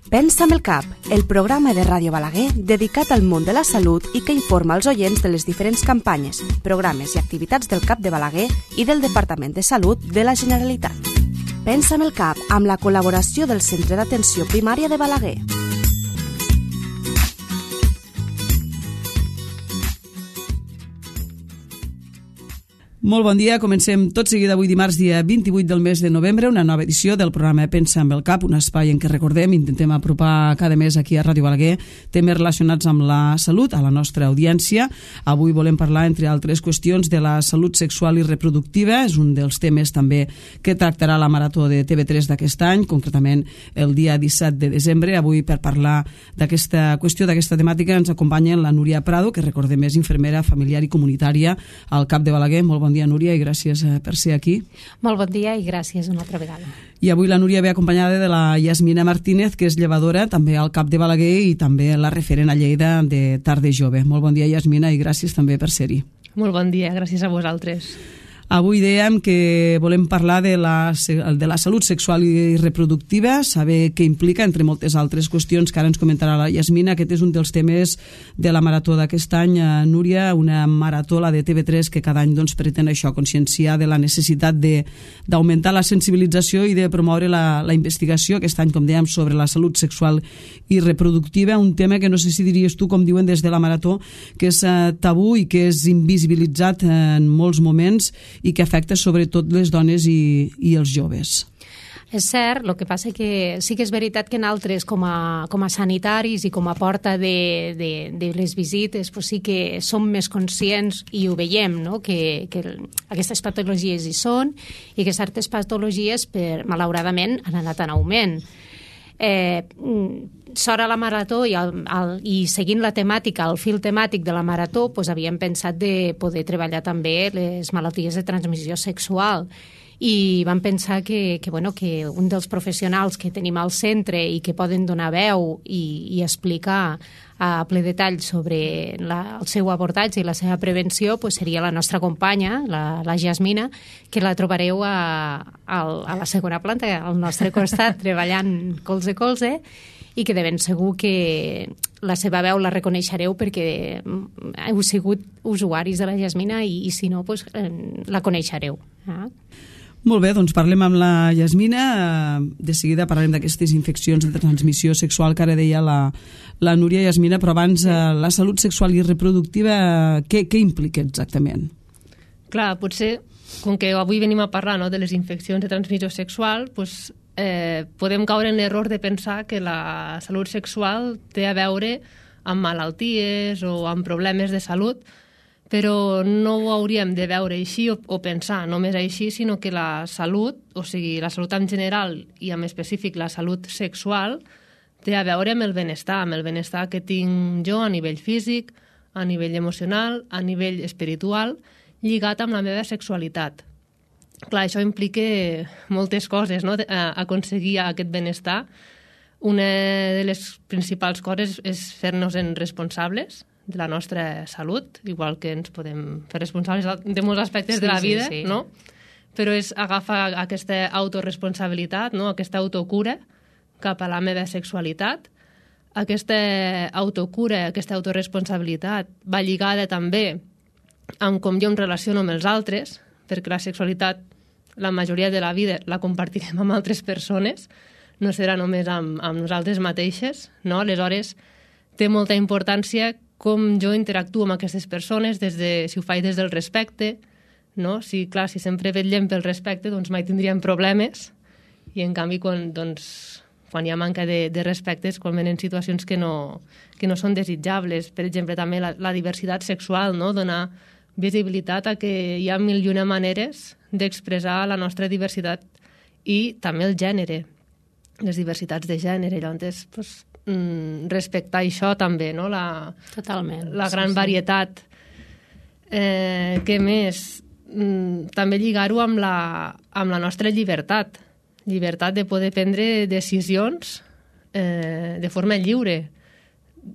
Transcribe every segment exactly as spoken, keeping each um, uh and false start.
Pensa amb el cap, el programa de Ràdio Balaguer dedicat al món de la salut i que informa els oients de les diferents campanyes, programes i activitats del CAP de Balaguer i del Departament de Salut de la Generalitat. Pensa amb el cap, amb la col·laboració del Centre d'Atenció Primària de Balaguer. Molt bon dia, comencem tot seguit avui dimarts, dia vint-i-vuit del mes de novembre, una nova edició del programa Pensa amb el cap, un espai en què recordem, intentem apropar cada mes aquí a Ràdio Balaguer temes relacionats amb la salut a la nostra audiència. Avui volem parlar, entre altres qüestions, de la salut sexual i reproductiva. És un dels temes també que tractarà la Marató de T V tres d'aquest any, concretament el dia disset de desembre. Avui, per parlar d'aquesta qüestió, d'aquesta temàtica, ens acompanya la Núria Prado, que recordem és infermera familiar i comunitària al CAP de Balaguer. Molt bon dia, Núria, i gràcies per ser aquí. Molt bon dia i gràcies una altra vegada. I avui la Núria ve acompanyada de la Yasmina Martínez, que és llevadora també al CAP de Balaguer i també la referent a Lleida de Tarde Jove. Molt bon dia, Yasmina, i gràcies també per ser-hi. Molt bon dia, gràcies a vosaltres. Avui dèiem que volem parlar de la, de la salut sexual i reproductiva, saber què implica, entre moltes altres qüestions que ara ens comentarà la Yasmina. Aquest és un dels temes de la Marató d'aquest any, Núria, una marató, la de T V tres, que cada any doncs, pretén això, conscienciar de la necessitat d'augmentar la sensibilització i de promoure la, la investigació, aquest any, com dèiem, sobre la salut sexual i reproductiva, un tema que no sé si diries tu, com diuen des de la Marató, que és eh, tabú i que és invisibilitzat en molts moments i que afecta sobretot les dones i, i els joves. És cert, el que passa que sí que és veritat que nosaltres com a, com a sanitaris i com a porta de, de, de les visites pues sí que som més conscients i ho veiem, no? que, que aquestes patologies hi són i que certes patologies, per, malauradament, han anat en augment. Eh, sort a la Marató i, el, el, i seguint la temàtica, el fil temàtic de la Marató, doncs havíem pensat de poder treballar també les malalties de transmissió sexual i vam pensar que, que, bueno, que un dels professionals que tenim al centre i que poden donar veu i, i explicar a ple detall sobre la, el seu abordatge i la seva prevenció pues seria la nostra companya, la, la Yasmina, que la trobareu a, a, a la segona planta, al nostre costat, treballant colze a colze, i que de ben segur que la seva veu la reconeixereu perquè heu sigut usuaris de la Yasmina i, i si no, pues, la coneixereu. Ah? Molt bé, doncs parlem amb la Yasmina. De seguida parlarem d'aquestes infeccions de transmissió sexual que ara deia la, la Núria. Yasmina, però abans, la salut sexual i reproductiva, què, què implica exactament? Clar, potser, com que avui venim a parlar, no, de les infeccions de transmissió sexual, doncs, eh, podem caure en l'error de pensar que la salut sexual té a veure amb malalties o amb problemes de salut, però no ho hauríem de veure així o, o pensar només així, sinó que la salut, o sigui, la salut en general i en específic la salut sexual, té a veure amb el benestar, amb el benestar que tinc jo a nivell físic, a nivell emocional, a nivell espiritual, lligat amb la meva sexualitat. Clar, això implica moltes coses, no?, aconseguir aquest benestar. Una de les principals coses és fer-nos-en responsables de la nostra salut, igual que ens podem fer responsables de molts aspectes sí, de la vida, sí, sí. no? Però és agafar aquesta autoresponsabilitat, no? Aquesta autocura cap a la meva sexualitat. Aquesta autocura, aquesta autoresponsabilitat va lligada també amb com jo em relaciono amb els altres, perquè la sexualitat, la majoria de la vida, la compartirem amb altres persones, no serà només amb, amb nosaltres mateixes, no? Aleshores, té molta importància com jo interactuo amb aquestes persones, des de, si ho faig des del respecte, no? Si, clar, si sempre vetllem pel respecte, doncs mai tindríem problemes, i en canvi, quan, doncs, quan hi ha manca de, de respecte, és quan venen situacions que no, que no són desitjables. Per exemple, també la, la diversitat sexual, no? Donar visibilitat a que hi ha mil i una maneres d'expressar la nostra diversitat i també el gènere, les diversitats de gènere. Llavors, doncs, respectar això també, no? La, Totalment. La gran sí, sí. varietat. Eh, què més? Mm, també lligar-ho amb la, amb la nostra llibertat. Llibertat de poder prendre decisions eh, de forma lliure.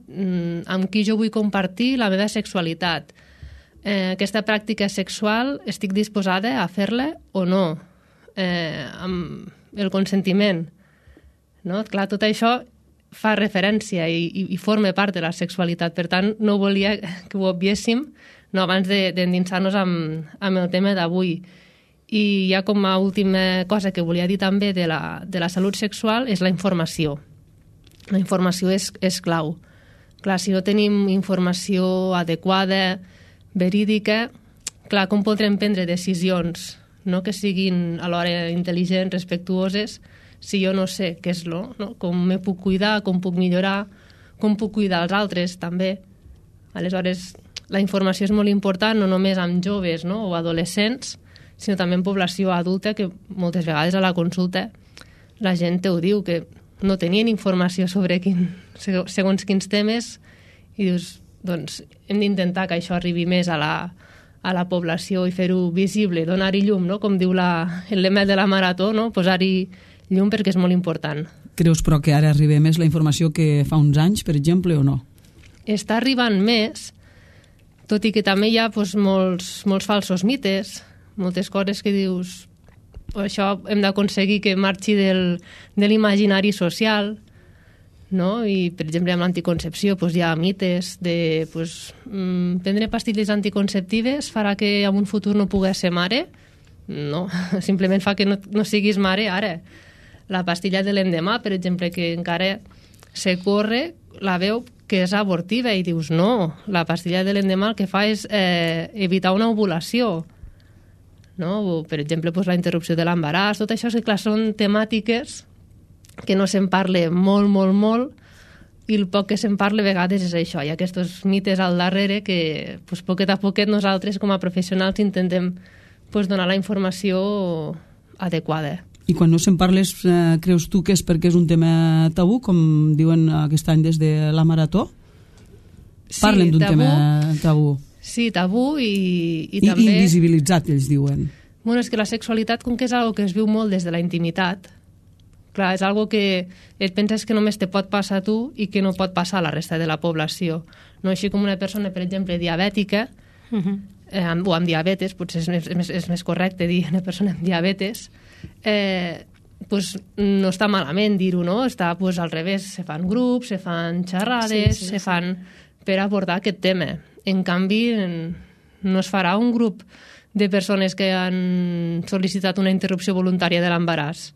Mm, amb qui jo vull compartir la meva sexualitat. Eh, aquesta pràctica sexual estic disposada a fer-la o no? Eh, amb el consentiment. No? Clar, tot això fa referència i, i, i forma part de la sexualitat. Per tant, no volia que ho obviéssim no, abans d'endinsar-nos de, amb, amb el tema d'avui. I ja com a última cosa que volia dir també de la, de la salut sexual és la informació. La informació és, és clau. Clar, si no tenim informació adequada, verídica, clar, com podrem prendre decisions no que siguin alhora intel·ligents, respectuoses, si jo no sé què és lo, no? Com me puc cuidar, com puc millorar, com puc cuidar els altres, també. Aleshores, la informació és molt important, no només amb joves no? o adolescents, sinó també en població adulta, que moltes vegades a la consulta la gent te ho diu, que no tenien informació sobre quin, segons quins temes, i dius, doncs, hem d'intentar que això arribi més a la, a la població i fer-ho visible, donar-hi llum, no? Com diu la, el lema de la marató, no? Posar-hi llum perquè és molt important. Creus, però, que ara arriba més la informació que fa uns anys, per exemple, o no? Està arribant més, tot i que també hi ha doncs, molts, molts falsos mites, moltes coses que dius això hem d'aconseguir que marxi del, de l'imaginari social, no? I, per exemple, amb l'anticoncepció doncs, hi ha mites de doncs, prendre pastilles anticonceptives farà que en un futur no puguis ser mare. No, simplement fa que no, no siguis mare ara. La pastilla de l'endemà, per exemple, que encara se corre, la veu que és abortiva i dius no, la pastilla de l'endemà el que fa és eh, evitar una ovulació. No? O, per exemple, doncs, la interrupció de l'embaràs, tot això que, clar, són temàtiques que no se'n parla molt, molt, molt, i el poc que se'n parla a vegades és això, hi ha aquests mites al darrere que doncs, poquet a poquet nosaltres com a professionals intentem doncs, donar la informació adequada. I quan no se'n parles, eh, creus tu que és perquè és un tema tabú, com diuen aquest any des de la Marató? Parlen sí, d'un tema tabú. Sí, tabú i, i, I també... I invisibilitzat, ells diuen. Bueno, és que la sexualitat, com que és algo que es viu molt des de la intimitat, clar, és algo que et penses que només te pot passar a tu i que no pot passar a la resta de la població. No així com una persona, per exemple, diabètica, uh-huh. eh, amb, o amb diabetes, potser és més, és més correcte dir una persona amb diabetes, eh, pues, no està malament dir-ho, no? Està pues, al revés, se fan grups, se fan xerrades, sí, sí, se sí. fan per abordar aquest tema. En canvi, no es farà un grup de persones que han sol·licitat una interrupció voluntària de l'embaràs.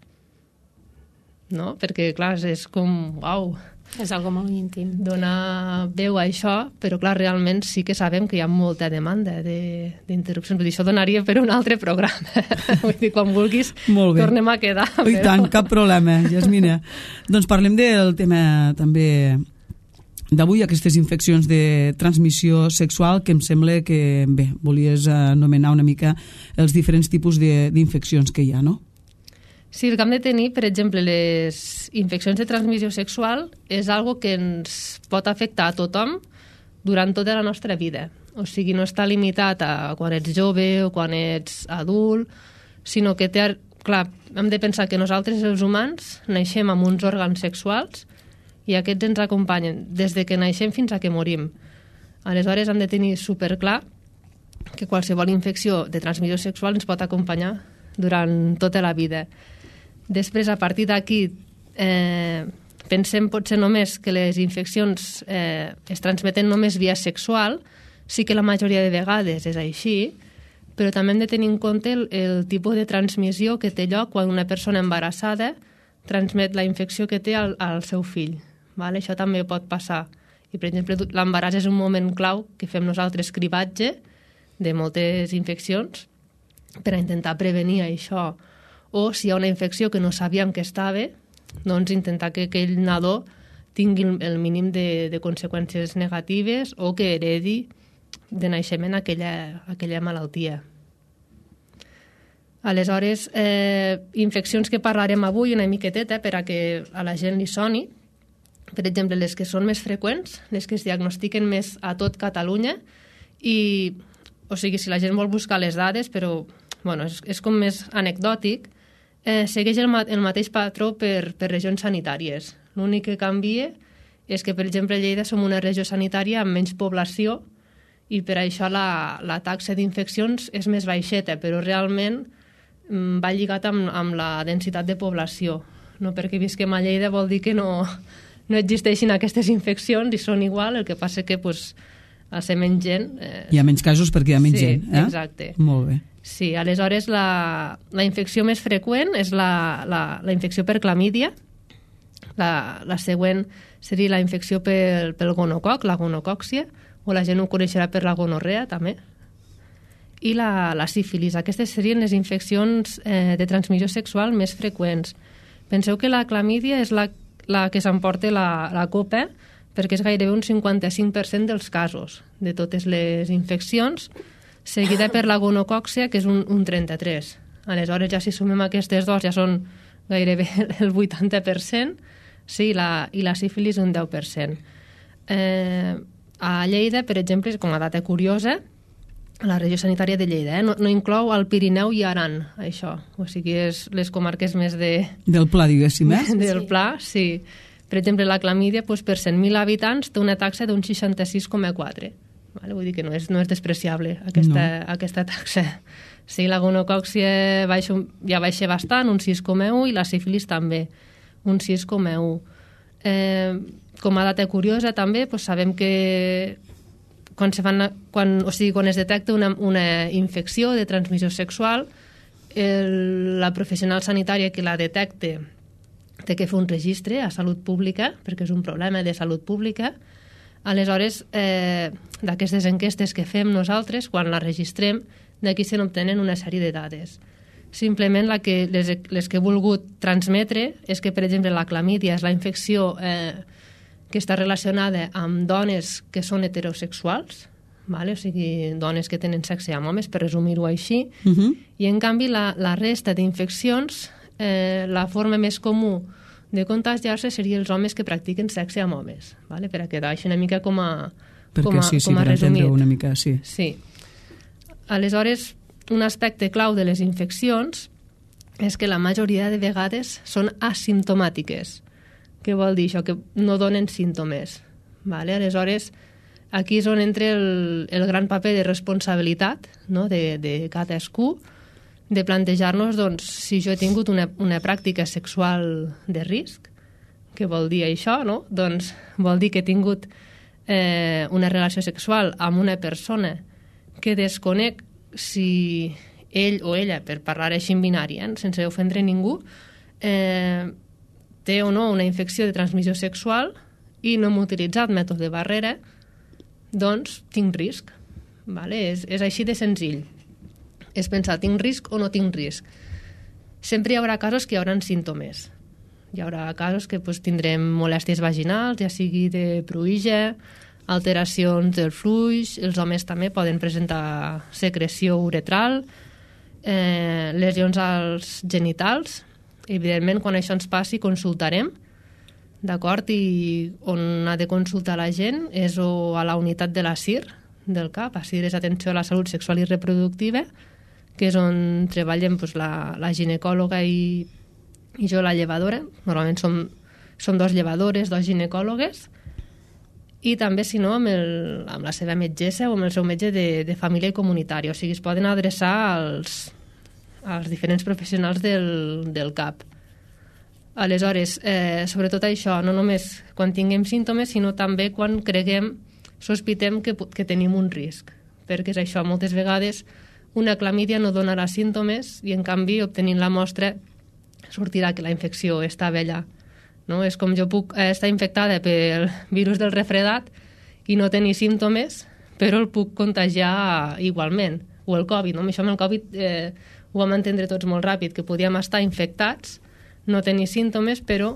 No? Perquè, clar, és com, uau, és algo molt íntim. Donar veu a això, però, clar, realment sí que sabem que hi ha molta demanda d'interrupcions. Vull dir, això donaria per un altre programa. Vull dir, quan vulguis, tornem a quedar. I però... tant, cap problema, Jasmina. Doncs parlem del tema també d'avui, aquestes infeccions de transmissió sexual, que em sembla que, bé, volies anomenar una mica els diferents tipus d'infeccions que hi ha, no? Sí, el que hem de tenir, per exemple, les infeccions de transmissió sexual és algo que ens pot afectar a tothom durant tota la nostra vida. O sigui, no està limitat a quan ets jove o quan ets adult, sinó que té, clar, hem de pensar que nosaltres, els humans, naixem amb uns òrgans sexuals i aquests ens acompanyen des de que naixem fins a que morim. Aleshores, hem de tenir superclar que qualsevol infecció de transmissió sexual ens pot acompanyar durant tota la vida. Després, a partir d'aquí, eh, pensem potser només que les infeccions eh, es transmeten només via sexual, sí que la majoria de vegades és així, però també hem de tenir en compte el, el tipus de transmissió que té lloc quan una persona embarassada transmet la infecció que té al, al seu fill. Vale? Això també pot passar. I, per exemple, l'embaràs és un moment clau que fem nosaltres cribatge de moltes infeccions per a intentar prevenir això. O si hi ha una infecció que no sabíem que estava, doncs intentar que aquell nadó tingui el mínim de, de conseqüències negatives o que heredi de naixement aquella, aquella malaltia. Aleshores, eh, infeccions que parlarem avui una miqueteta per a que a la gent li soni. Per exemple, les que són més freqüents, les que es diagnostiquen més a tot Catalunya, i, o sigui, si la gent vol buscar les dades, però bueno, és, és com més anecdòtic, eh, segueix el, ma el mateix patró per, per regions sanitàries. L'únic que canvia és que, per exemple, a Lleida som una regió sanitària amb menys població i per això la, la taxa d'infeccions és més baixeta, però realment mm, va lligat amb, amb la densitat de població. No perquè visquem a Lleida vol dir que no, no existeixin aquestes infeccions i són igual, el que passa que pues, a ser menys gent... Eh... Hi ha menys casos perquè hi ha menys sí, gent. Eh? Exacte. Molt bé. Sí, aleshores la, la infecció més freqüent és la, la, la infecció per clamídia. La, la següent seria la infecció pel, pel gonococ, la gonocòccia, o la gent ho coneixerà per la gonorrea també. I la, la sífilis. Aquestes serien les infeccions eh, de transmissió sexual més freqüents. Penseu que la clamídia és la, la que s'emporta la, la copa, perquè és gairebé un cinquanta-cinc per cent dels casos de totes les infeccions, seguida per la gonocòccia, que és un, un trenta-tres. Aleshores, ja si sumem aquestes dos, ja són gairebé el vuitanta per cent, sí, la, i la sífilis un deu per cent. Eh, a Lleida, per exemple, com a data curiosa, a la regió sanitària de Lleida, eh, no, no inclou el Pirineu i Aran, això. O sigui, és les comarques més de... Del Pla, diguéssim, eh? Del Sí. Pla, sí. Per exemple, la clamídia, doncs, per cent mil habitants, té una taxa d'un seixanta-sis coma quatre. Vale? Vull dir que no és, no és despreciable aquesta, no. aquesta taxa. Sí, la gonocòccia baixa, ja baixa bastant, un sis coma un, i la sífilis també, un sis coma un. Eh, com a data curiosa també, doncs sabem que quan, se fan, quan, o sigui, quan es detecta una, una infecció de transmissió sexual, el, la professional sanitària que la detecte té que fer un registre a Salut Pública, perquè és un problema de salut pública. Aleshores, eh, d'aquestes enquestes que fem nosaltres, quan la registrem, d'aquí se n'obtenen una sèrie de dades. Simplement la que, les, les que he volgut transmetre és que, per exemple, la clamídia és la infecció eh, que està relacionada amb dones que són heterosexuals, vale? O sigui, dones que tenen sexe amb homes, per resumir-ho així, Uh -huh. i en canvi la, la resta d'infeccions, eh, la forma més comú de contagiar-se seria els homes que practiquen sexe amb homes, vale? Per a quedar així una mica com a, Perquè com a, sí, sí, com a per resumit. entendre una mica, sí. Sí. Aleshores, un aspecte clau de les infeccions és que la majoria de vegades són asimptomàtiques. Què vol dir això? Que no donen símptomes. Vale? Aleshores, aquí és on entra el, el gran paper de responsabilitat, no? de, de cadascú, de plantejar-nos doncs, si jo he tingut una, una pràctica sexual de risc, què vol dir això? No? Doncs vol dir que he tingut eh, una relació sexual amb una persona que desconec si ell o ella, per parlar així en binari, eh, sense ofendre ningú, eh, té o no una infecció de transmissió sexual i no hem utilitzat mètode de barrera, doncs tinc risc. Vale? És, és així de senzill. És pensar, tinc risc o no tinc risc. Sempre hi haurà casos que hi haurà símptomes. Hi haurà casos que pues, tindrem molèsties vaginals, ja sigui de pruïja, alteracions del fluix, els homes també poden presentar secreció uretral, eh, lesions als genitals. Evidentment, quan això ens passi, consultarem, d'acord? I on ha de consultar la gent és o a la unitat de la C I R del C A P, a C I R és Atenció a la Salut Sexual i Reproductiva, que és on treballem doncs, la, la ginecòloga i, i jo la llevadora. Normalment som, som dos llevadores, dos ginecòlogues, i també, si no, amb, el, amb la seva metgessa o amb el seu metge de, de família i comunitari. O sigui, es poden adreçar als, als diferents professionals del, del C A P. Aleshores, eh, sobretot això, no només quan tinguem símptomes, sinó també quan creguem, sospitem que, que tenim un risc. Perquè és això, moltes vegades una clamídia no donarà símptomes i, en canvi, obtenint la mostra, sortirà que la infecció està allà. No? És com jo puc estar infectada pel virus del refredat i no tenir símptomes, però el puc contagiar igualment. O el Covid, no? Això amb el Covid eh, ho vam entendre tots molt ràpid, que podíem estar infectats, no tenir símptomes, però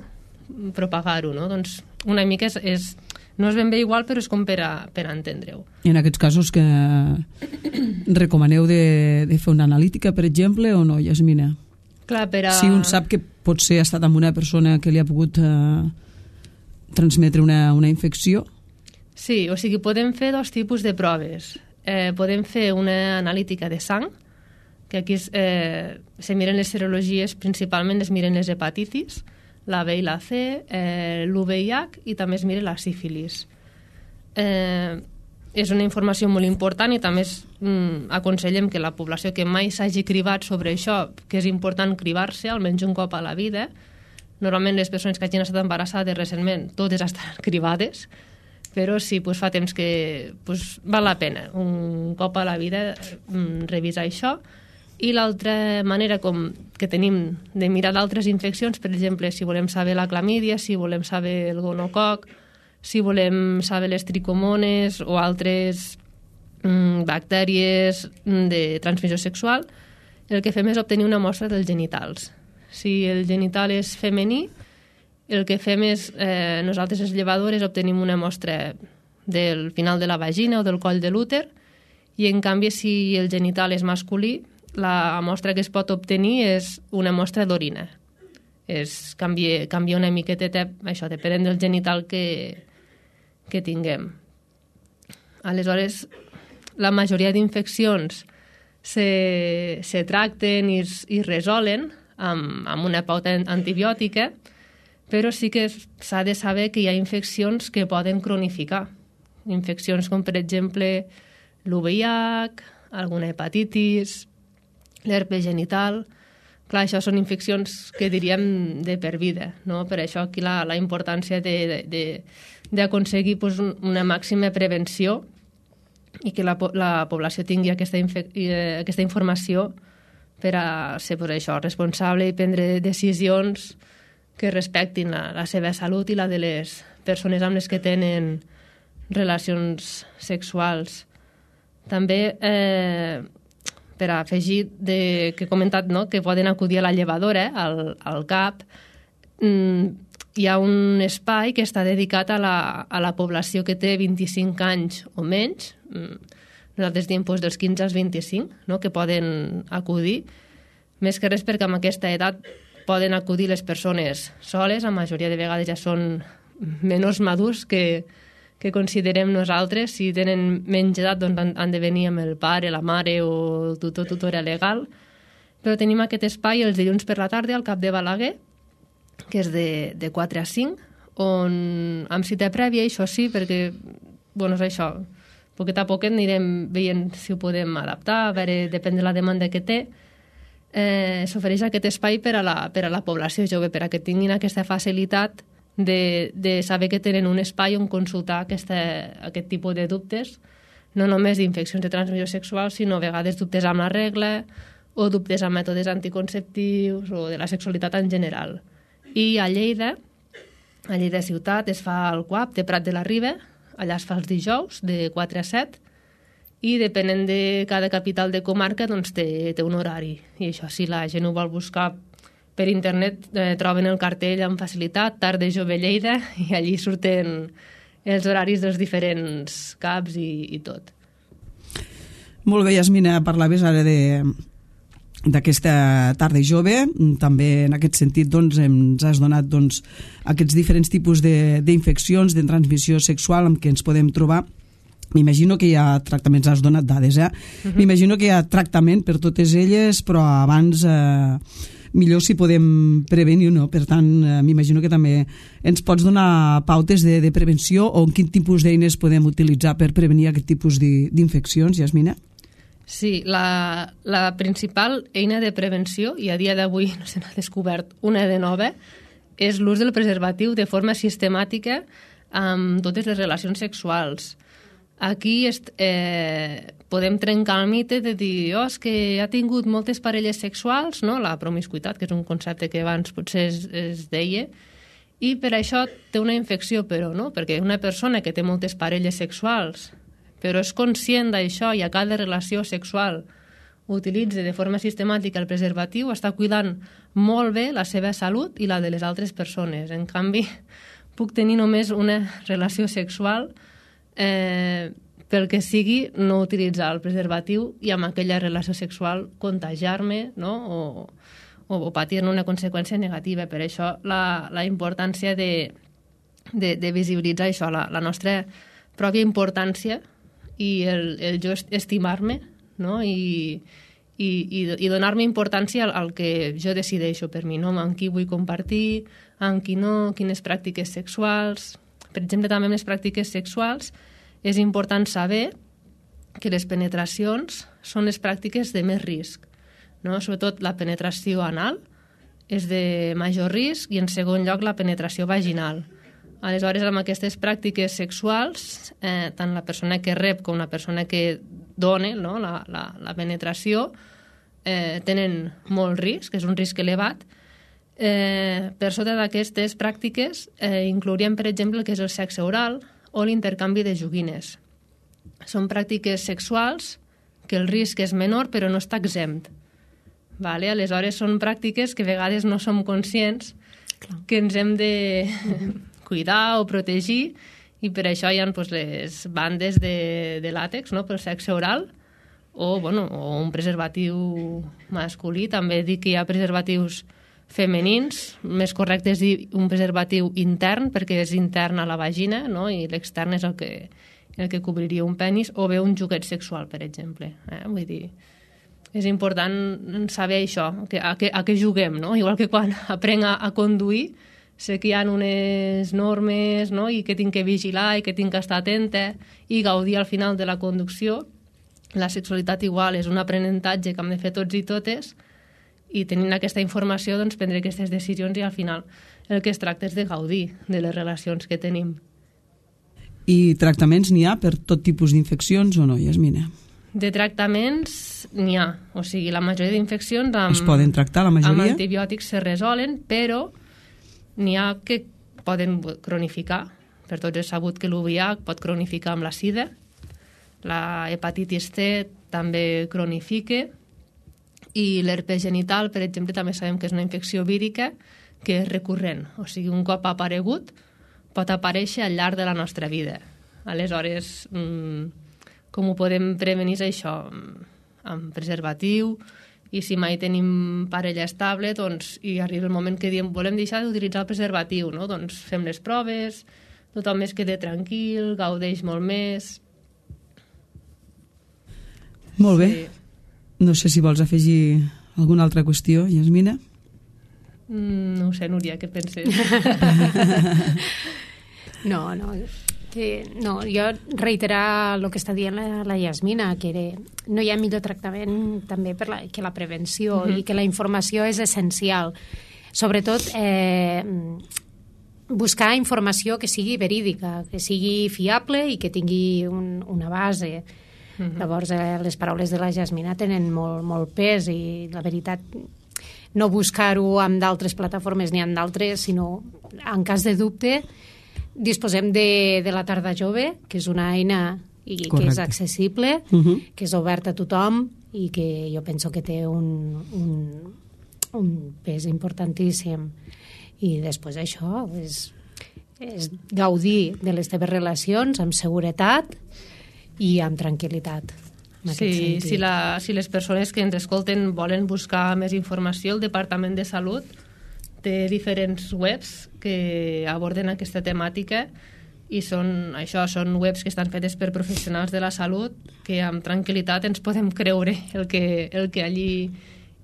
propagar-ho. No? Doncs una mica és, és, no és ben bé igual, però és com per a, per a entendre-ho. I en aquests casos que recomaneu de, de fer una analítica, per exemple, o no, Yasmina? Clar, per a... Si un sap que potser ha estat amb una persona que li ha pogut eh, transmetre una, una infecció? Sí, o sigui, podem fer dos tipus de proves. Eh, podem fer una analítica de sang, que aquí es, eh, se miren les serologies, principalment es miren les hepatitis, la B i la C, eh, l'U V I H i també es mira la sífilis. Eh, és una informació molt important i també es, mm, aconsellem que la població que mai s'hagi cribat sobre això, que és important cribar-se almenys un cop a la vida, Normalment les persones que hagin estat embarassades recentment totes estan cribades, però sí, pues, fa temps que pues, val la pena un cop a la vida mm, revisar això. I l'altra manera com que tenim de mirar d'altres infeccions, per exemple, si volem saber la clamídia, si volem saber el gonococ, si volem saber les tricomones o altres mm, bactèries de transmissió sexual, el que fem és obtenir una mostra dels genitals. Si el genital és femení, el que fem és, eh, nosaltres les llevadores obtenim una mostra del final de la vagina o del coll de l'úter, i en canvi si el genital és masculí, la mostra que es pot obtenir és una mostra d'orina. Es canvia, canvia una miqueta, això, depenent del genital que, que tinguem. Aleshores, la majoria d'infeccions se, se tracten i, i resolen amb, amb una pauta antibiòtica, però sí que s'ha de saber que hi ha infeccions que poden cronificar. Infeccions com, per exemple, l'U V I H, alguna hepatitis, l'herpes genital. Clar, això són infeccions que diríem de per vida, no? Per això aquí la, la importància d'aconseguir pues, una màxima prevenció i que la, la població tingui aquesta, aquesta informació per a ser per això, responsable i prendre decisions que respectin la, la seva salut i la de les persones amb les que tenen relacions sexuals. També eh, per afegir de, que he comentat, no? Que poden acudir a la llevadora, al, al C A P, mm, hi ha un espai que està dedicat a la, a la població que té vint-i-cinc anys o menys, nosaltres diem doncs, dels quinze als vint-i-cinc, no? Que poden acudir, més que res perquè amb aquesta edat poden acudir les persones soles, la majoria de vegades ja són menors madurs que, que considerem nosaltres. Si tenen menys edat doncs han, han de venir amb el pare, la mare o el tutor, tutora legal. Però tenim aquest espai els dilluns per la tarda al Cap de Balaguer, que és de, de quatre a cinc, on amb cita prèvia, això sí, perquè, bueno, és això, poquet a poquet anirem veient si ho podem adaptar, a veure, depèn de la demanda que té. Eh, s'ofereix aquest espai per a, la, per a la població jove, per a que tinguin aquesta facilitat de, de saber que tenen un espai on consultar aquesta, aquest tipus de dubtes, no només d'infeccions de transmissió sexual, sinó a vegades dubtes amb la regla o dubtes amb mètodes anticonceptius o de la sexualitat en general. I a Lleida, a Lleida ciutat, es fa el C U A P de Prat de la Riba, allà es fa els dijous de quatre a set, i depenent de cada capital de comarca doncs té, té un horari. I això, si la gent ho vol buscar per internet, eh, troben el cartell amb facilitat, Tarda Jove Lleida, i allí surten els horaris dels diferents C A Ps i, i tot. Molt bé, Yasmina, parlaves ara de d'aquesta tarda jove, també en aquest sentit doncs, ens has donat doncs, aquests diferents tipus d'infeccions de, de transmissió sexual amb què ens podem trobar. M'imagino que hi ha tractaments, has donat dades, eh? Uh-huh. M'imagino que hi ha tractament per totes elles, però abans eh, millor si podem prevenir, no? Per tant, eh, m'imagino que també ens pots donar pautes de, de prevenció o quin tipus d'eines podem utilitzar per prevenir aquest tipus d'infeccions, Yasmina? Sí, la, la principal eina de prevenció, i a dia d'avui no se n'ha descobert una de nova, és l'ús del preservatiu de forma sistemàtica amb totes les relacions sexuals. Aquí est, eh, podem trencar el mite de dir oh, és que ha tingut moltes parelles sexuals, no? La promiscuitat, que és un concepte que abans potser es, es deia, i per això té una infecció, però no, perquè una persona que té moltes parelles sexuals però és conscient d'això i a cada relació sexual utilitza de forma sistemàtica el preservatiu, està cuidant molt bé la seva salut i la de les altres persones. En canvi, puc tenir només una relació sexual eh, pel que sigui no utilitzar el preservatiu i amb aquella relació sexual contagiar-me, no? o, o, o patir-ne una conseqüència negativa. Per això la, la importància de, de, de visibilitzar això, la, la nostra pròpia importància i el, el jo estimar-me, no? I, i, i donar-me importància al, al que jo decideixo per mi, no? Amb qui vull compartir, amb qui no, quines pràctiques sexuals. Per exemple, també amb les pràctiques sexuals és important saber que les penetracions són les pràctiques de més risc, no? Sobretot la penetració anal és de major risc, i en segon lloc la penetració vaginal. Aleshores, amb aquestes pràctiques sexuals, eh, tant la persona que rep com la persona que dona, no, la, la, la penetració, eh, tenen molt risc, és un risc elevat. Eh, per sota d'aquestes pràctiques eh, inclouríem, per exemple, el que és el sexe oral o l'intercanvi de joguines. Són pràctiques sexuals que el risc és menor però no està exempt. Vale? Aleshores, són pràctiques que a vegades no som conscients Clar. que ens hem de cuidar o protegir, i per això hi ha pues, les bandes de, de làtex, no?, pel sexe oral, o, bueno, o un preservatiu masculí. També dic que hi ha preservatius femenins, més correcte és dir un preservatiu intern, perquè és intern a la vagina, no?, i l'extern és el que, el que cobriria un penis, o bé un joguet sexual, per exemple. Eh? Vull dir, és important saber això, que, a, que, a què juguem, no? Igual que quan aprenc a, a conduir, sé que hi ha unes normes, no?, i que tinc que vigilar i que tinc que estar atenta i gaudir al final de la conducció. La sexualitat igual és un aprenentatge que hem de fer tots i totes, i tenint aquesta informació doncs, prendre aquestes decisions, i al final el que es tracta és de gaudir de les relacions que tenim. I tractaments n'hi ha per tot tipus d'infeccions o no, Yasmina? De tractaments n'hi ha, o sigui, la majoria d'infeccions amb, es poden tractar, la majoria? Amb antibiòtics se resolen, però n'hi ha que poden cronificar. Per tots és sabut que l'U V I H pot cronificar amb la sida, la hepatitis C també cronifica, i l'herpes genital, per exemple, també sabem que és una infecció vírica que és recurrent, o sigui, un cop ha aparegut pot aparèixer al llarg de la nostra vida. Aleshores, com ho podem prevenir això? Amb preservatiu, i si mai tenim parella estable, doncs, i arriba el moment que diem volem deixar d'utilitzar el preservatiu, no? Doncs fem les proves, tothom es queda tranquil, gaudeix molt més. Molt bé. Sí. No sé si vols afegir alguna altra qüestió, Yasmina? Mm, no ho sé, Núria, què penses? No, no, que, no, jo reiterar el que està dient la, la Yasmina, que era, no hi ha millor tractament també per la, que la prevenció, uh-huh. i que la informació és essencial. Sobretot, eh, buscar informació que sigui verídica, que sigui fiable i que tingui un, una base. Uh-huh. Llavors, eh, les paraules de la Yasmina tenen molt, molt pes, i la veritat, no buscar-ho amb d'altres plataformes ni amb d'altres, sinó, en cas de dubte, disposem de, de la Tarda Jove, que és una eina i que Correcte. és accessible, uh-huh. que és oberta a tothom, i que jo penso que té un, un, un pes importantíssim. I després això és, és gaudir de les teves relacions amb seguretat i amb tranquil·litat. Sí, si, la, si les persones que ens escolten volen buscar més informació, el Departament de Salut té diferents webs que aborden aquesta temàtica, i són, això, són webs que estan fetes per professionals de la salut, que amb tranquil·litat ens podem creure el que, el que allí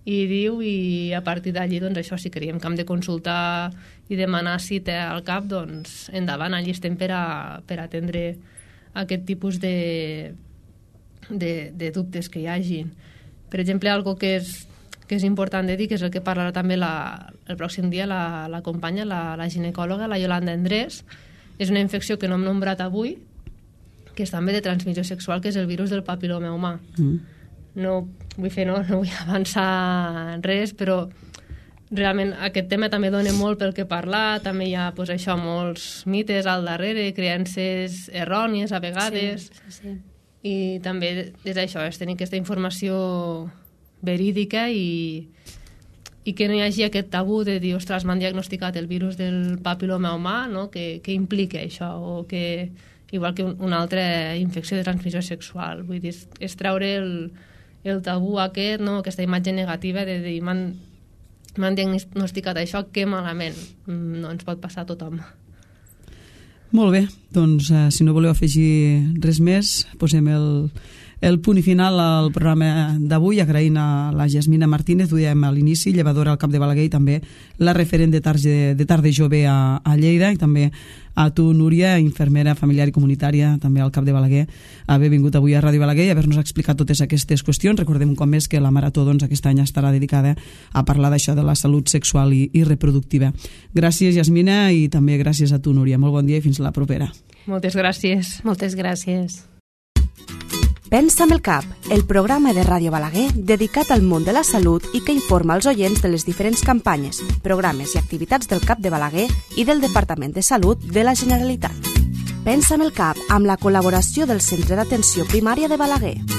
hi diu, i a partir d'allí, doncs això, si creiem que hem de consultar i demanar cita al cap, doncs endavant, allí estem per a, per a atendre aquest tipus de, de, de dubtes que hi hagin. Per exemple, algo que és, que és important de dir, que és el que parlarà també la, el pròxim dia la, la companya, la, la ginecòloga, la Yolanda Endrés. És una infecció que no hem nombrat avui, que és també de transmissió sexual, que és el virus del papil·loma humà. Mm. No vull fer, no, no vull avançar res, però realment aquest tema també dona molt pel que parlar, també hi ha pues, això, molts mites al darrere, creences errònies a vegades, sí, sí, sí. I també és això, és tenir aquesta informació verídica, i, i que no hi hagi aquest tabú de dir, ostres, m'han diagnosticat el virus del papil·loma humà, no? que, que implica això, o que igual que un, una altra infecció de transmissió sexual. Vull dir, és, és treure el, el tabú aquest, no? Aquesta imatge negativa de dir, m'han m'han diagnosticat això, que malament. No ens pot passar a tothom. Molt bé, doncs eh, si no voleu afegir res més, posem el, el punt i final al programa d'avui, agraint a la Jasmina Martínez, ho dèiem a l'inici, llevadora al CAP de Balaguer i també la referent de tarda, de tarda jove a, a Lleida, i també a tu, Núria, infermera familiar i comunitària, també al CAP de Balaguer, haver vingut avui a Ràdio Balaguer i haver-nos explicat totes aquestes qüestions. Recordem un cop més que la Marató doncs, aquest any estarà dedicada a parlar d'això de la salut sexual i, i reproductiva. Gràcies, Jasmina, i també gràcies a tu, Núria. Molt bon dia i fins la propera. Moltes gràcies. Moltes gràcies. Pensa amb el cap, el programa de Ràdio Balaguer dedicat al món de la salut i que informa els oients de les diferents campanyes, programes i activitats del CAP de Balaguer i del Departament de Salut de la Generalitat. Pensa amb el cap amb la col·laboració del Centre d'Atenció Primària de Balaguer.